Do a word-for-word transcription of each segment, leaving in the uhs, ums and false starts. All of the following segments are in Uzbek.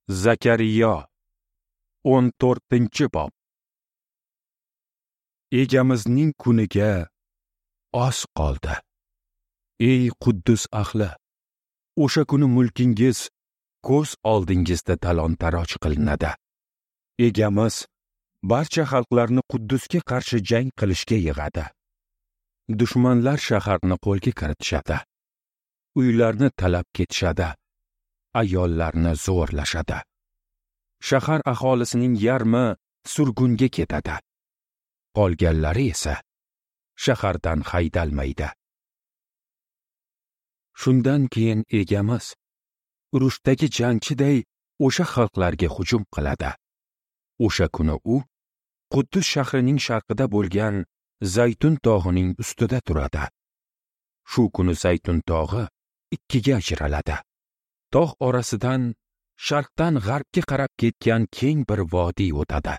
Zakariyo o'n to'rtinchi bob. Egamizning kuniga oz qoldi. Ey Quddus ahli, o'sha kuni mulkingiz ko'z oldingizda talon-taroj qilinadi. Egamiz barcha xalqlarni Quddusga qarshi jang qilishga yig'adi. Dushmanlar shaharni qo'lga kiritishadi. Uylarni talab ketishadi. Ayollarni zo'rlashadi. Shahar aholisining yarmi surgunga ketadi. Qolganlari esa shahardan haydalmaydi. Shundan keyin egamiz urushdagi jangchiday o'sha xalqlarga hujum qiladi. O'sha kuni u Quddus shahrining sharqida bo'lgan Zaytun tog'ining ustida turadi. Shu kuni Zaytun tog'i ikkiga ajraladi. Tog' orasidan sharqdan g'arbga qarab ketgan keng bir vodiy o'tadi.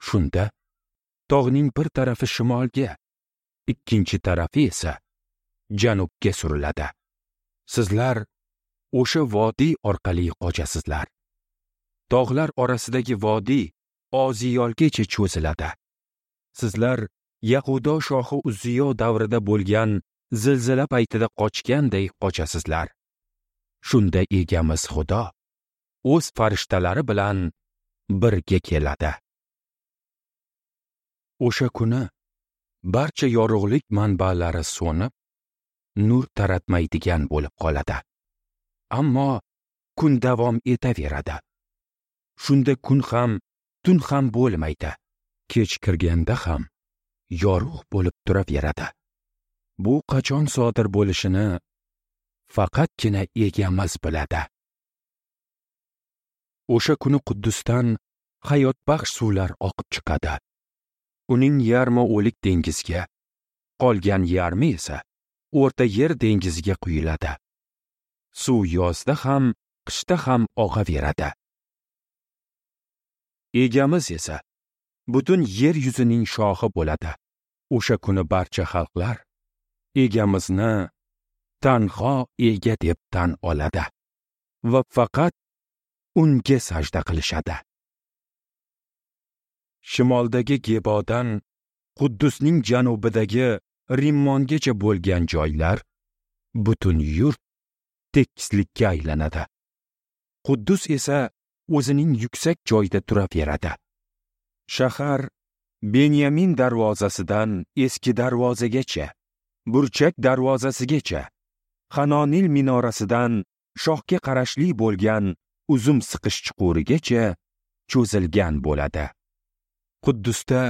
Shunda tog'ning bir tarafi shimolga, ikkinchi tarafi esa janubga suriladi. Sizlar o'sha vodiy orqali qochasizlar. Tog'lar orasidagi vodiy Oziyolgacha cho'ziladi. Sizlar Yahudo shohi Uzziyo davrida bo'lgan zilzila paytida qochganday qochasizlar. Shunda egamiz Xudo o'z farishtalari bilan birga keladi. O'sha kuni barcha yorug'lik manbalari so'nib, nur taratmaydigan bo'lib qoladi. Ammo kun davom etaveradi. Shunda kun ham, tun ham bo'lmaydi. Kech kirganda ham yorug' bo'lib turaveradi. Bu qachon sodir bo'lishini faqatgina egamiz biladi. O'sha kuni Quddusdan hayotbaxsh suvlar oqib chiqadi. Uning yarmi o'lik dengizga, qolgan yarmi esa O'rta Yer dengiziga quyiladi. Suv yozda ham, qishda ham oqaveradi. Egamiz esa butun yer yuzining shohi bo'ladi. O'sha kuni barcha xalqlar egamizni tanho ega deb tan oladi va faqat unga sajda qilishadi. Shimoldagi Gebodan Quddusning janubidagi Rimmongacha bo'lgan joylar butun yurt tekislikka aylanadi. Quddus esa o'zining yuksak joyida turaveradi. Shahar Benyamin darvozasidan eski darvozagacha, Burchak darvozasigacha, Hanonil minorasidan shohga qarashli bo'lgan uzum siqish chuqurigacha cho'zilgan bo'ladi. Quddusda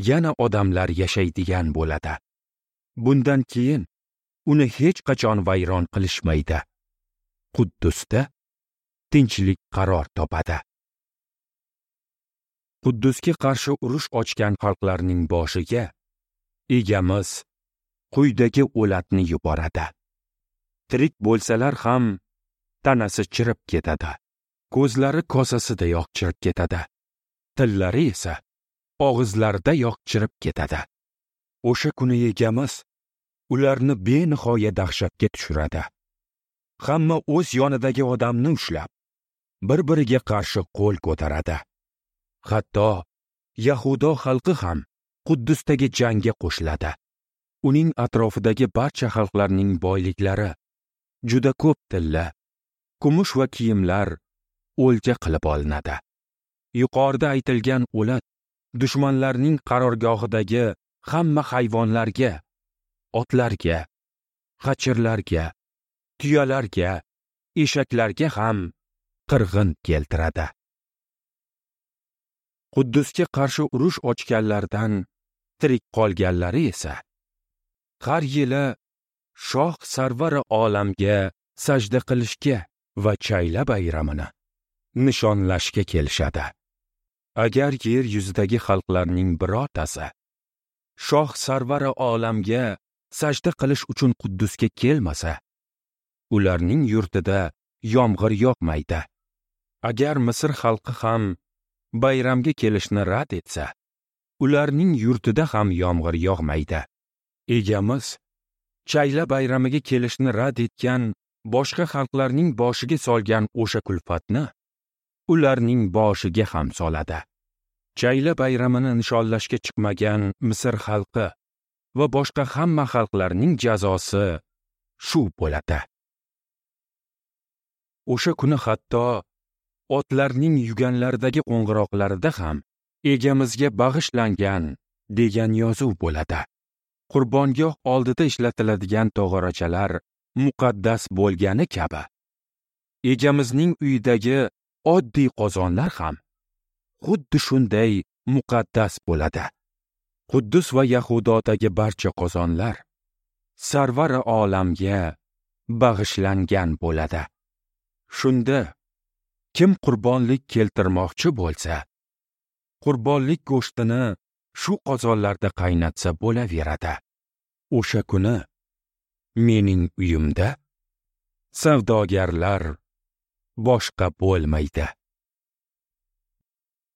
yana odamlar yashaydigan bo'ladi. Bundan keyin uni hech qachon vayron qilishmaydi. Quddusda tinchlik qaror topadi. Quddusga qarshi urush ochgan xalqlarning boshiga egamiz quyidagi o'latni yuboradi. Tirik bo'lsalar ham tanasi chirib ketadi. Ko'zlari kosasidayoq chirib ketadi. Tillari esa og'izlaridayoq chirib ketadi. O'sha kuni egamiz ularni benihoya dahshatga tushiradi. Hamma o'z yonidagi odamni ushlab, bir-biriga qarshi qo'l ko'taradi. Hatto Yahudo xalqi ham Quddusdagi jangga qo'shiladi. Uning atrofidagi barcha xalqlarning boyliklari, juda ko'p tilla, kumush va kiyimlar o'lja qilib olinadi. Yuqorida aytilgan o'lat dushmanlarning qarorgohidagi hamma hayvonlarga, otlarga, xachirlarga, tuyalarga, eshaklarga ham qirg'in keltiradi. Quddusga qarshi urush ochganlardan tirik qolganlari esa har yili shoh sarvari olamga sajda qilishga va chayla bayramini nishonlashga kelishadi. Agar yer yuzidagi xalqlarning birortasi shoh sarvari olamga sajda qilish uchun Quddusga kelmasa, ularning yurtida yomg'ir yoqmaydi. Agar Misr xalqi ham bayramga kelishni rad etsa, ularning yurtida ham yomg'ir yog'maydi. Egamiz chayla bayramiga kelishni rad etgan boshqa xalqlarning boshiga solgan o'sha kulfatni ularning boshiga ham soladi. Chayla bayramini nishonlashga chiqmagan Misr xalqi va boshqa hamma xalqlarning jazosi shu bo'ladi. O'sha kuni hatto otlarning yuganlaridagi qo'ng'iroqlarida ham Egamizga bag'ishlangan degan yozuv bo'ladi. Qurbongoh oldida ishlatiladigan tog'orachalar muqaddas bo'lgani kabi, Egamizning uyidagi oddiy qozonlar ham xuddi shunday muqaddas bo'ladi. Quddus va Yahudodagi barcha qozonlar Sarvari olamga bag'ishlangan bo'ladi. Shunda kim qurbonlik keltirmoqchi bo'lsa, qurbonlik go'shtini shu qozonlarda qaynatsa bo'laveradi. O'sha kuni mening uyimda savdogarlar boshqa bo'lmaydi.